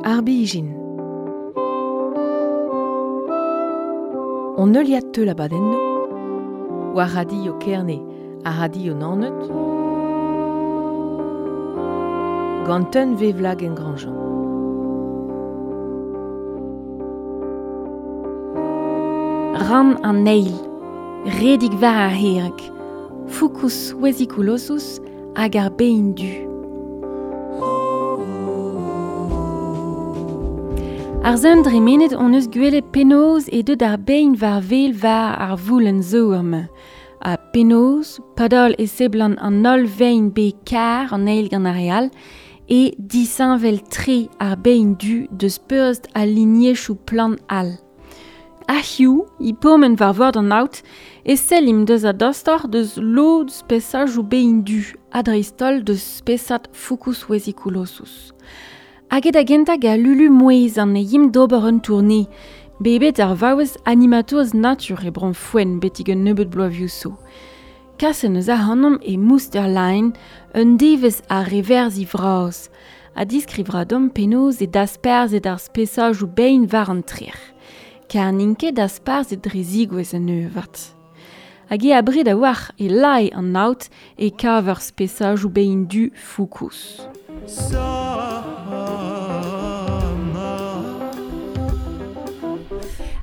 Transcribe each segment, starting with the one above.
Ar bijin. On heuliad teul abadennoù war Radio Kerne ha Radio Naoned gant un vevlagenn Grandjean. Rann an eil, redig war ar herreg, Fucus vesiculosus hag ar bein du. Ar sun dremenet hon eus gwelet penaos e deut ar bein war wel war ar voulenn zourm. Ha penaos, padal e seblant an holl vein bet kar an eil gant ar re all, e disheñvel-tre ar bein du deus peurrest al lignezoù plant all. Hiziv, e pourmen war vord an aod, e sellimp deus a-dostoc'h deus lod spesajoù bein du, ha dreist-holl deus spesad Fucus vesiculosus. Hag eo da gentañ gant Lulu Mouezan e yimp d'ober un tourne. Bet ar vaouez animatourez natur e Bro-Foenn betek un nebeud bloavezhioù zo. Kaset eus ac'hanomp e Mousterlein, un devezh ar reverzhi vras, ha diskriv 'ra deomp penaos eo dasparzhet ar spesajoù bein war an trec'h. Kar n'int ket dasparzhet dre zigouezh anezho avat. Hag eo abred a-walc'h e lae an aod e kaver spesajoù bein du Fucus.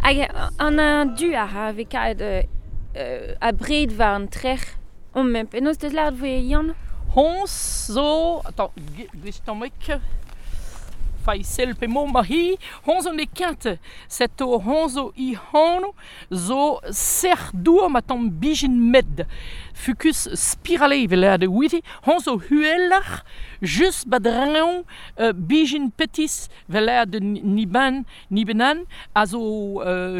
Hag an du a ra vez kavet abred war an trec'h omp. Penaos 'teus lâret 'voe Yann? Honnezh zo, attends, gwistomik, Faisel p'emañ ma c'hi, honnezh zo n'eo ket, setu honnezh zo he anv zo sec'h-dour ma tamm bijin med. Fucus spirale evel lâret e ouiit, honnezh zo uheloc'h just ba-dreñv bijin petis 'vel lâret niban nibenan a zo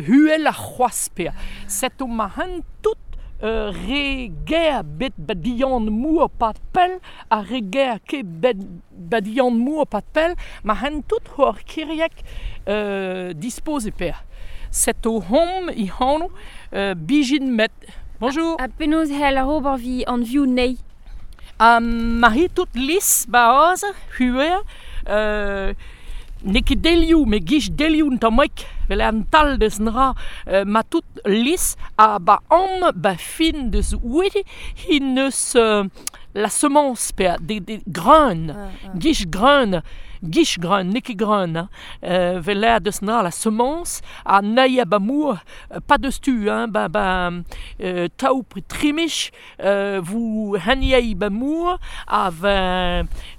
uheloc'h c'hoazh pe'a. Setu ma hent tout re ger bet badian mour 'pad pell ha re ger ket bet badian mour 'pad pell ma hent tout hor kiriek dispoz e pe'a. Setu hom he anv bijin met. Bonjour. Ha penaos c'hell ober evit anvioù anezhi? Ha ma rit tout lis 'ba aze, huer, n'eo ket delioù, met gich delioù un tammig, 'vel an tal deus an dra, ma tout lis ha 'ba am 'ba fin deus ouiet he neus la semence pe de greun, gich greun, gich greun, n'eo ket greun, hein, 'vel lâret deus an dra la semence ha nailh 'ba mour, pas deus tu, hein, 'ba 'ba taou pe trimich vous haniei 'ba mour ha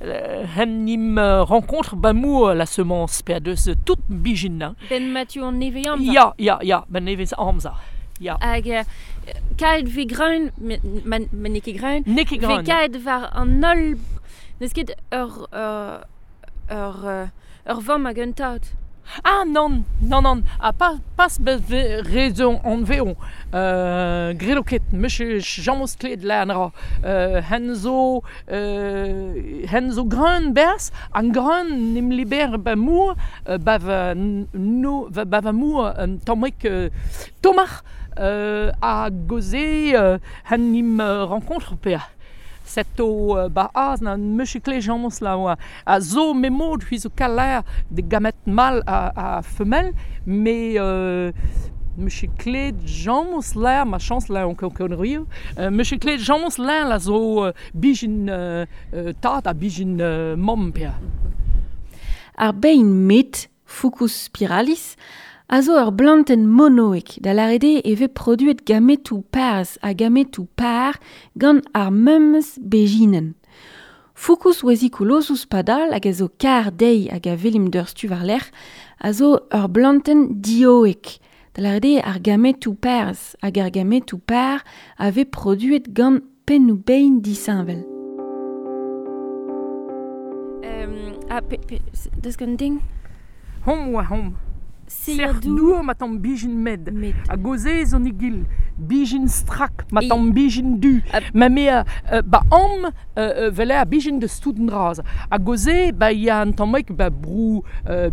hen 'nim rencontre 'ba mour la semence pe deus tout bijin, hein. Ben Mathieu an nevez amzer. Ya, ya, ya, ben nevez amzer. Ya. Hag kaet 'vez greun, ma n'eo ket greun, N'eo ket 'vez greun. kaet war an holl n'eus ket ur ur ur ur vamm hag un tad. Ah nann, nann, nann, ha pas pas rezon anvezho. Graet eo ket, meus james klevet lâret an dra. Hen zo hen zo greun berzh, an greun n'em liber 'ba mour, 'ba va no 'ba va mour un tammig tomar hag se hen 'n em rencontre pe'a. Setu 'ba aze na 'meus ket klevet james la oa. A zo memod c'hwi zo kalaer da gamet mall ha femelle, met 'meus ket klevet james lâr, ma chañs lâr on ket konnerioù, 'meus ket klevet james lâr a zo bijin tad ha bijin mamm pe'a. Ar bein met, Fucus spiralis, a zo ur blantenn monoek, da lâret eo e vez produet gametoù parzh ha gametoù par gant ar memes bezhinenn. Fucus vesiculosus padal hag a zo kar dezhi hag a welimp doc'htu war-lerc'h, a zo ur blantenn dioek, da lâret eo ar gametoù parzh hag ar gametoù par a vez produet gant pennoù-bein disheñvel. Ha pe, pe, deus gant den? Hom oa hom. Sec'h-dour ma tamm bijin med. Ha goze zo nigil. Bijin strak, ma tamm bijin du. Ma me ba am vele a bijin deus tout an dra. Ha goze ba ya an tammig ba brou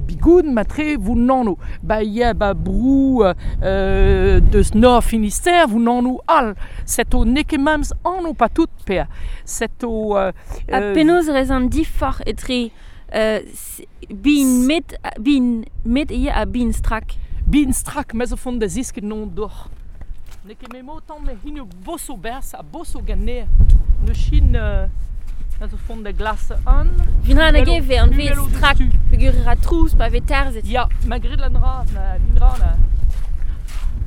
bigoud ma tre vou nano. Ba ya ba brou deus Nord Finistère vou nano all. Seto n'eo ket memes anv pa tout pea. Seto Ha penaos rez an diforc'h etre Bin met, bin met eo a bin strak. Bin strak, me zo font da zisket non doc'h. Ne ket me motan me hini boso berz a boso ganne. Ne chin me zo font da glas an. Vin ra nage ve an ve strak, pegur ra trouz pa ve tarzet. Ya, ma grit lan ra, ma vin ra na.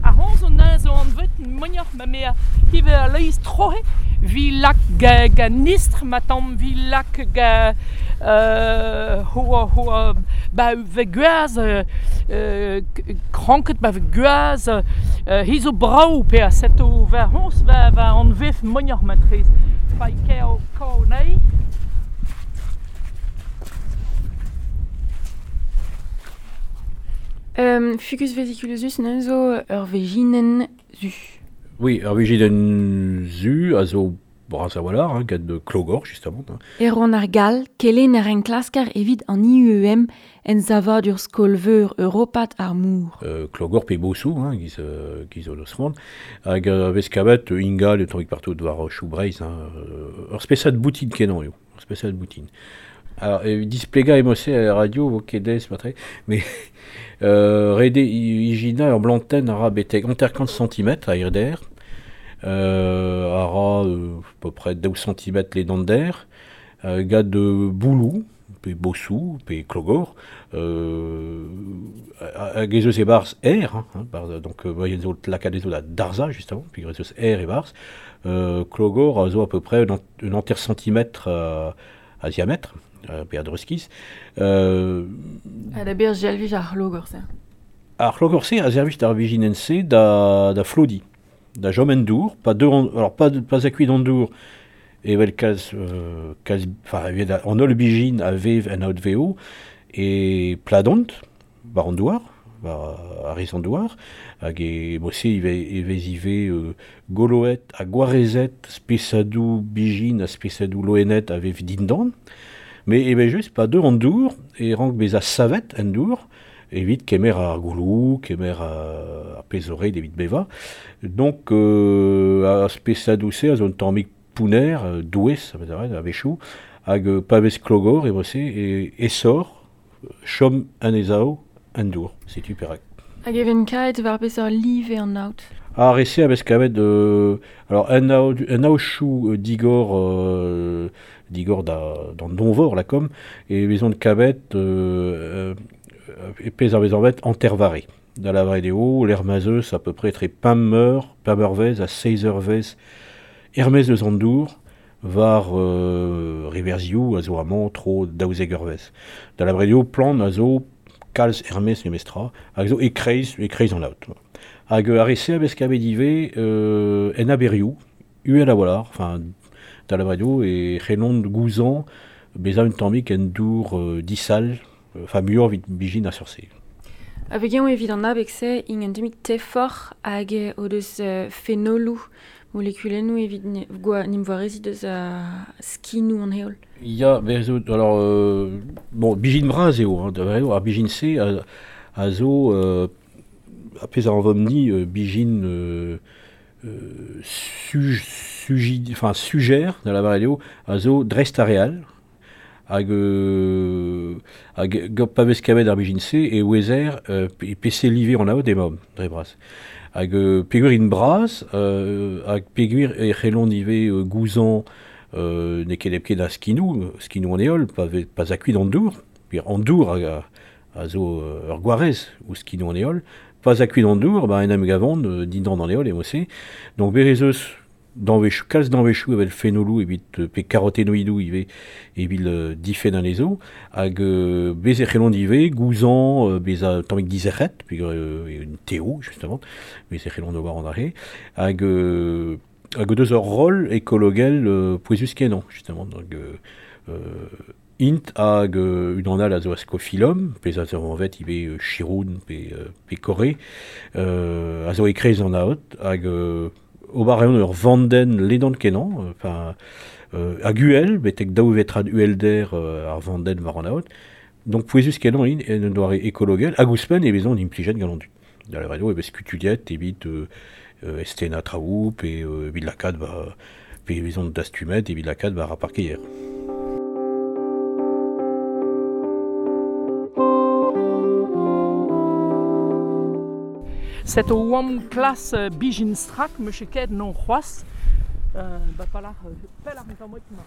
A hon zo na zo an vet mognoc'h ma me hive a leiz trohe vi lak ga nistr ma tamm vi lak ga hoa ba ve gwaz kranket ba ve gwaz hi zo brau pe a seto va hons va an vef mognoc'h ma trez fai keo kao nei. Fucus vesiculosus neuze zo ur vejinen zu. Oui, ur vejinen zu a zo bras a-walc'h, hein, gant klogor, justement. Hein. Erwan ar Gall, kelenner enklasker evit an IUM en savadur skol-veur europat ar mour. Klogor pe bosou, hein, giz o deus c'hoant. Hag vez kavet ingal e tammig partout war chou Breizh. Hein, ur spesad boutin kenañ eo, ur spesad boutin. Alors, displega emose a radio, vo ket aes matre, mais rede ijina ur blantenn a ra betek 50 cm a hirder, a ra à peu près 2 cm les dents d'air, gant de boulou, pe bosou, pe klogor, hag ez eus e barz aer, hein, barz, donc voyen zo lakaat ezo da darza, justement, puis ez eus aer e barz, klogor a zo à peu près un enter centimètre a diamètre, pe a dreuzkiz. A da ber jalvij ar c'hlogor-se. Ar c'hlogor-se a servij d'ar vijinen-se da flodi, da jom en dour, pa deux en, alors pas, pas akuit en dour, evel kaz, enfin, evit an holl bijin a vev en aot veo, e pladont, war an douar, war ar rez an douar, hag e mose e vez ive goloet ha gwarezet spesadou bijin ha spesadou loenet a vev dindan, mais evel just pa deur an dour, e rank beza savet en dour, evit kemer ar goulou, kemer ar pezh evit beva. Donc a spesadou-se a zo un tammig pouner, douez, a wechou, hag pa vez klogor e vose e esor, chom anezhao en dour, setu perak. Hag even kaet war peseurt live an aot. Ar ese a vez kavet, alors un aochou digor, digor da, d'an donvor la kom, e vezont kavet e pezh ar vez anvet antervare. Da la eo, l'ermazeus à peu près tre pameur, pameurvez a seizeurvez, hermez eus an dour, war riverziou a zo amañ tro daouzek-eurvez. Da la eo, plan a zo kalz hermez memestra, hag zo e kreiz an aot. Hag ar ese a vez kavet ivez en aberioù, uhel a-walc'h, enfin, da la eo, e c'hellont gouzañ bezañ un tammig en dour disal, enfin muioc'h evit bijin a seurt-se. Hag eñ evit an abeg-se int un tammig tefoc'h hag o deus fenoloù molekulennoù evit nim voarezit deus a skinoù an heol. Ya, bezo, alors, bon, bijin bras eo, hein, da eo, ar bijin-se a zo, a pezh a anvomp-ni, bijin enfin, sujer, da la eo, a zo dreist ar real, hag pa vez kavet ar bijin-se e ouezer e pese live an aot emaomp, dre bras. Hag peogwir int bras, hag peogwir e c'hellont ivez gouzañ n'eo ket hepken a skinoù, skinoù an heol, pa akuit an dour, pe an dour a zo ur gwarez ou skinoù an heol, pa akuit an dour, ba en em gavont dindan an heol eo-se. Donc berez eus danvechou, kalz danvechou evel fenoloù evit pe karotenoidoù ivez evit difenn anezho, hag bez e c'hellont ivez gouzañ bezañ tammig dizerc'het, pe un teo justement, bez e c'hellont ober an arre, hag deus ur roll ekologel pouezus kenañ justement, donc int hag unan all a zo ascophyllum, pezh a zo anvet ivez chiroun pe kore, a zo e kreiz an aot, hag ober reont ur vandenn ledan kenañ, enfin, hag uhel, betek daou vetrad uhelder ar vandenn war an aot. Donc pouezus kenañ int en un doare ekologel, hag ouzhpenn e vezont implijet gant an dud. Da la eo e vez kutuliet evit estena traoù, pe evit lakaat ba, pe e vezont dastumet evit lakaat war ar parkeier. Set o oam klas bijin strak, meus ket non c'hoaz. Ba palach, pelach an tamm mar.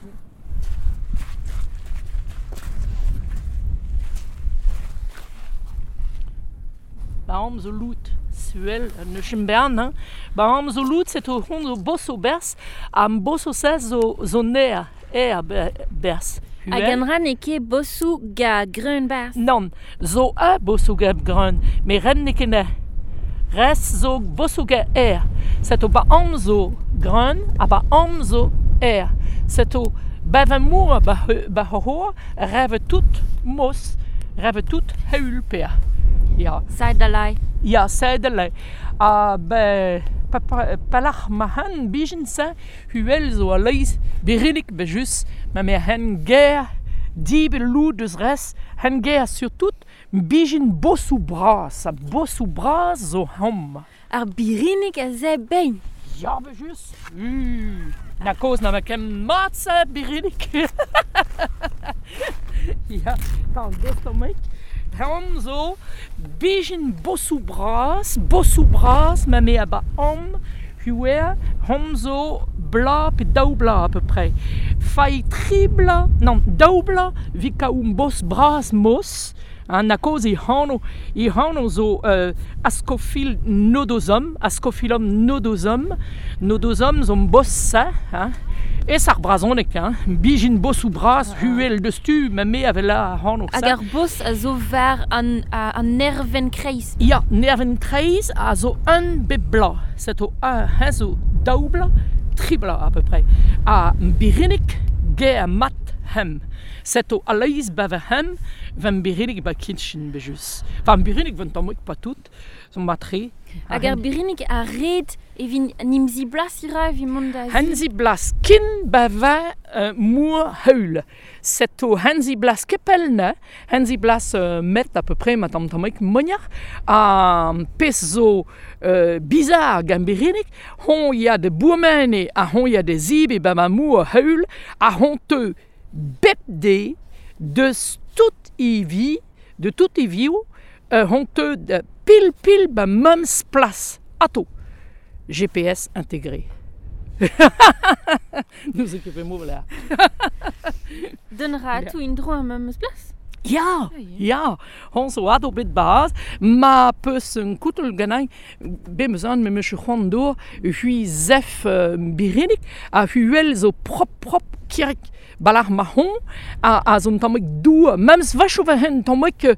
Ba am zo lout, suel, ne chim bern, hein. Ba am zo lout, set o hon zo bos o bers, am bos o sez zo ner, er bers. Hag an ran e ket bosou ga greun bers? Non, zo a bosou ga greun, me ren ne ket ne. Res zo bosou ga er. Set o ba am zo greun, ha ba am zo er. Set o bev amour ba ho rêve tout mos, rêve tout heul per. Ja. Seidelei. Ja, seidelei. Ha be palach ma han bijin sa huel zo a leiz berinik be jus, ma me hen ger dib loud deus res, hen ger surtout bijin bosou bras, ha bosou bras zo hom. Ar birinik a ze bein. Ja, be jus. Na koz na ma kem mat sa birinik. Ja, tan dostomek. Hom zo bijin bosou bras, ma me a ba om, huer, hom zo bla pe daou bla à peu près. Fai tri bla, non, daou bla, vi ka um bos bras mos, hein, na koz i hano zo ascophil nodosum, ascophilum nodosum, nodosum zo bos sa, hein. Es ar brazonek, hein, bijin bosou bras, huel de stu, ma me ave la hano. Hag ar bos a zo var an nerven kreiz. Ja, nerven kreiz a zo un bep bla. Set o un hen zo daou bla, tri bla à peu près. A birinik ge a mat hem. Set o aleiz bave hem, ven birinik ba kinchin bejus. Enfin, birinik ven tammik pa tout, zo matre. Hag ar birinik a red evin nimzi blas ira evit mont da... Henzi blas kin bava mour heul. Set o henzi blas kepelne, henzi blas met à peu près ma tamm tammik moniar, a pez zo bizarre gant birinik, hon ya de bourmene, a hon ya de zib e ba ma mour heul, a hon te bep de deus tout i vi, de tout i viou, hon te de pil pil ba mems plas ato. GPS intégré. Nous occupons là. Donnera tout une droit mems plas? Ja, ja, hon zo ado bet baz, ma peus un koutel ganin, be meus an me meus c'hoant d'or, hui zef birinik, a huel zo prop prop kirik balach ma hon, a zo un tammik dou, mems vacho va hen tammik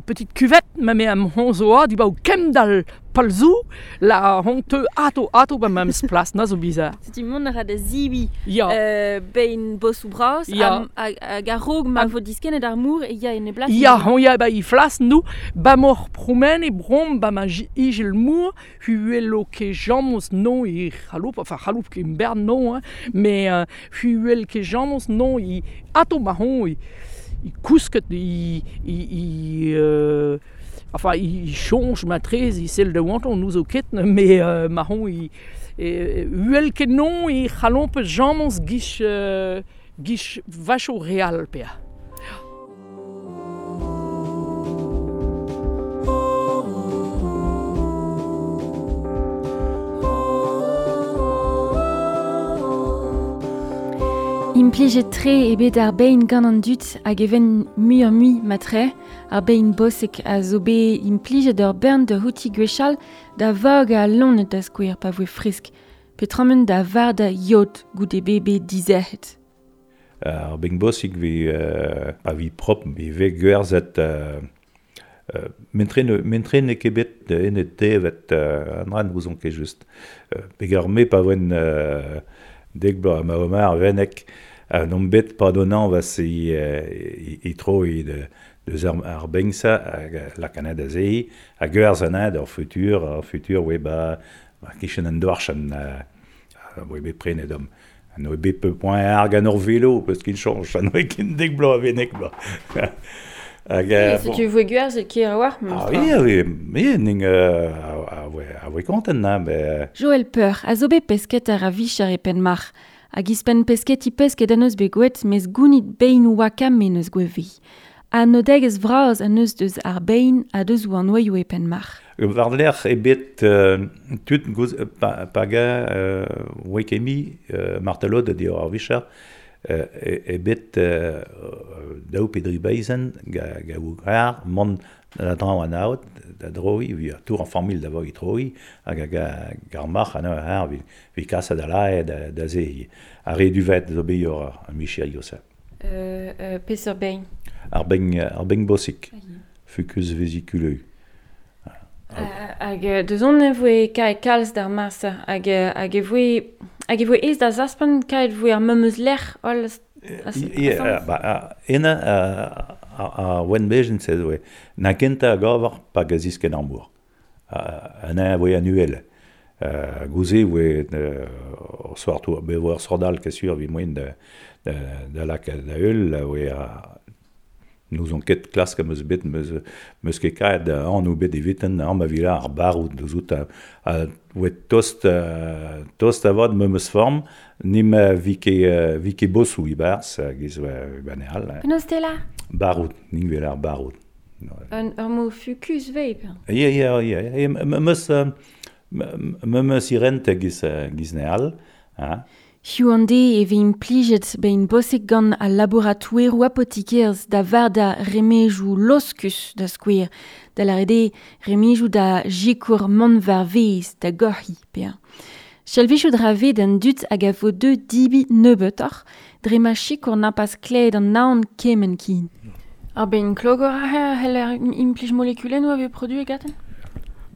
petite cuvette, ma me am hon zo a, di ba o kemdal palzou, la hon te ato ato ba mems plas, na zo bizarre. Setu mont a ra da zibi, ja. Bein bosou bras, ja. Hag a rog ma vo diskennet ar mour e ya en e blas. Ja, hon ya ba i flas nou, ba mor promen e brom ba ma igel mour, huelo ke jamos non i chaloup, enfin chaloup ke bern non, hein, mais huel ke jamos non i ato ma hon i kousket i enfin, il change ma trez, il sel de wanton nous o ket, mais ma hon i huel ket non i chalomp jamos gich gich vacho real pea. Implijet tre e bet ar bein gant an dud hag even mui ar mui matre, ar bein bosek a zo bet implijet ur bern de houti gwechal da vag a lonet da skouer pa voe fresk, petramen da var da yod goude bebe dizerc'het. Ar bein bosek vi pa vi prop, vi ve gwerzet mentre ne ket bet ene tevet an ran ouzon ket just. Pegar me pa voen dek bloaz ma omar venek non bet pardonnant va se i tro i de ar bengsa la Canada zei a gwerz an ar futur we ba kichen an dorchen we bet prenet om an oe bet peu point ar gant ur vélo parce qu'il change an oe ken dek bloaz venek bloaz. Hag, bon. Tu voe gwerz e ker war? Ah oui, oui, ning a voe kontent na. Joël Peur, a zo bet pesket ar a vicher e penmar. Hag ispen pesket i pesket an eus bet gwet, mes gounit bein wakam me neus gwevi. A nodegez vraz an eus deus ar bein a deus ou an oeioù e penmar. War lec'h e bet tud gouz, pa, paga oe kemi martelod a dior ar vicher e bet daou pedri beizen ga, ga ar mont da draoñ an aot da droi vi tour an familh da vo i troi hag hag ar marc'h an ar vi, vi kasa da lae da, da zehi. Ar re duvet zo beyor ar micher yosa. Peseurt bein? Ar bein, ar bein bosik. Fucus vesiculeux. Hag deus on e voe kae kalz d'ar marsa hag hag e voe hag e voe ez da zaspan kae voe ar memeus lec'h holl Ie, ba ena a wen bejen se voe na kenta a gavar pa gazisken ar mour. An a voe annuel. Gouze voe soir to be voe ar sordal ket sur vi moen da da da lak da eul voe a nous on ket klask am eus bet meus, meus ket kaet an ou bet eviten an ma vila ar barout deus out a, a oe tost, tost avad meus form nim vi ket, vi ket bosou ibarz giz oe baneal. Penaos te la? Barout, ning vela ar barout. Un ur mo fukus veip. Ie, ie, ie, ie, meus, meus irent giz, giz neal, ha. Hiu an de e ve implijet bein bosek gant al laboratoueroù apotikerz da varda remejou loskus da skouer, da la rede remejou da jikour mont var vez da gorhi pea. Chalvichou dra ve d'an dut hag a vo deux dibi nebeutoc'h, dre ma chikour na pas kled an naon kemen kin. Ar bein klogor a heller implij molekulennoù a ve produ e gaten?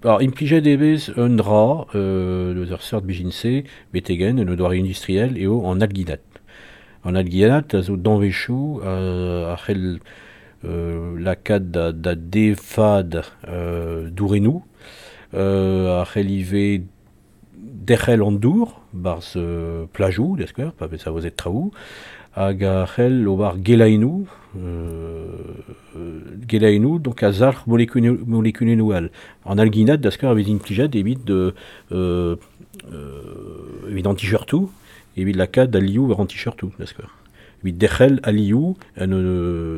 Alors, implijet ebez un dra, deus ur seurt bijin-se, betegen, un doare industriel, eo an alginat. An alginat a zo danvechou a c'hell lakaat da, da defad dourenou, a c'hell ivez derc'hel an dour, barz plajou, da skouer, pa vez a vozet traoù, hag a c'hell ober gelainou, gelainou, donc a zalc'h molekulennoù all. An alginat, da skouer, a vez implijet evit de, evit an t-shirtou, evit lakaat da liou war an t-shirtou, da skouer. Evit derc'hel a liou, en,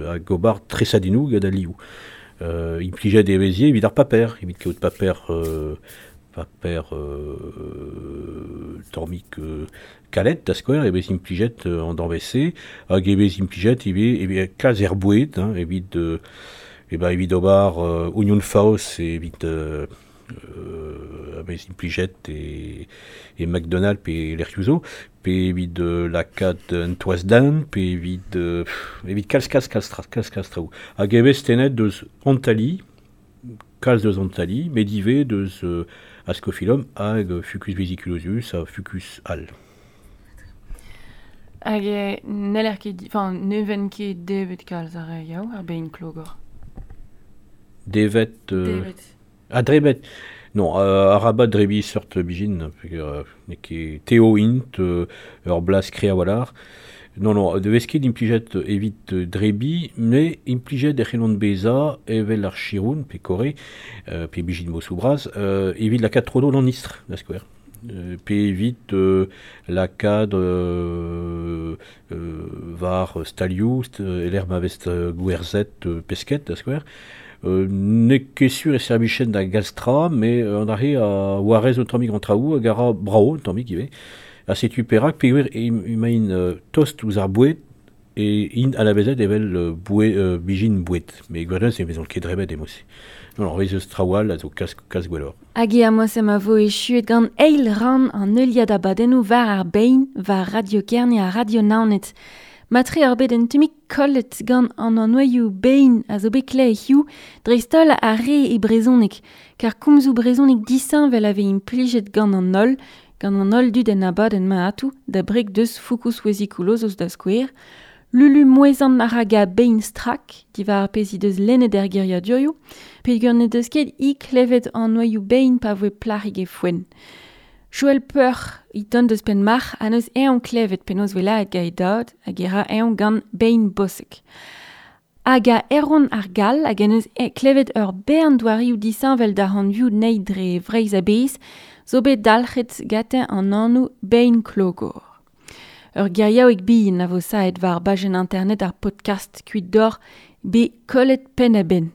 hag ober tresadinou gant a liou. Implijet e vezie evit ar paper, evit kaout paper, paper tormik kalet da skouer, e vez implijet an danvese, hag e vez implijet ivez, ivez kalz er boued, hein, evit, e ba evit ober oignon faos evit a vez implijet e, e McDonald pe lec'hioù pe evit lakaat un toaz d'an, pe evit, evit kalz kalz kalz tra, kalz kalz traoù. Hag e vez tenet deus Antali, kalz deus Antali, met ivez deus Ascophyllum hag Fucus vesiculosus ha Fucus al. Hag e n'eller ket, enfin, ne ven ket devet kalz ar re yaou, ar bein klogor. Devet... Devet. Ah, drebet. Non, arabat drebi seurt bijin, ne ket teo int, ur blas krea walar. Non, non, de vez ket implijet evit drebi, me implijet e c'hellont beza evel ar chiroun, pe kore, pe bijin mosou braz, evit lakaat trodo d'an istr, da skouer. Pe evit lakaat var stalioù, eler ma vez gwerzet pesket, da skouer. Ne ket sur e servichen da galstra, me an arre a warez o tammig an traoù hag a ra brao un tammig ivez. A setu perak peogwir emaint tost ouzh ar boued e int anavezet evel boued, bijin boued. Me gwirionez e vezont ket drebet emos. Non, non, vez eus traoù all a zo kas, kas gwelloc'h. Hag e amos em a vo echuet gant eil ran an heuliad abadennoù war ar bein, war Radio Kerne ha Radio Naoned. Matre ar bet un tumik kollet gant an annoioù bein a zo bet kle hiu, dreist-holl ar re e brezhoneg, kar komzoù brezhoneg disheñvel a vez implijet gant an holl, gant an holl dud en abadenn ma atou, da brek deus Fucus vesiculosus da skouer, Lulu mouezan a ra ga bein strak, diwar ar pezh he deus lennet er geriadurioù, peogwir ne deus ket i klevet an noioù bein pa voe plac'hig e foenn. Joël Peur, i ton deus penn marc'h, a neus eñ klevet penaos velaet ga e dad, hag e ra eñ gant bein bosek. Hag a Erwan ar Gall hag en eus klevet ur bern doarioù disheñvel da hanvioù nei dre Vreizh a-bezh, zo bet dalc'het gateñ an anv bein klogor. Ur geriaoueg bihan a vo saet war bajenn internet ar podcast kuit d'or be kollet penn a-benn.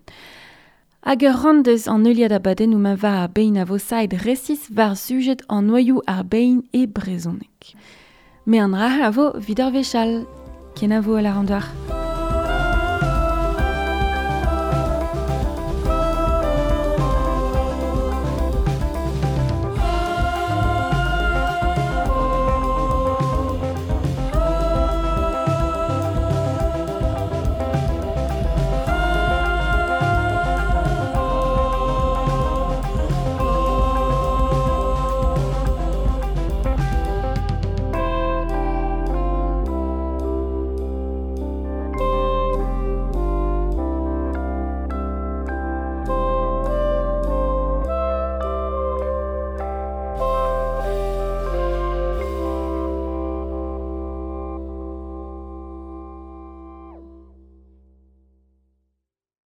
Hag ur randez an euliad abadennoù ma war ar bein a vo saet resis war sujet an noioù ar bein e brezhoneg. Me an raha a vo vid ar vechal. Kenavo a la randouar.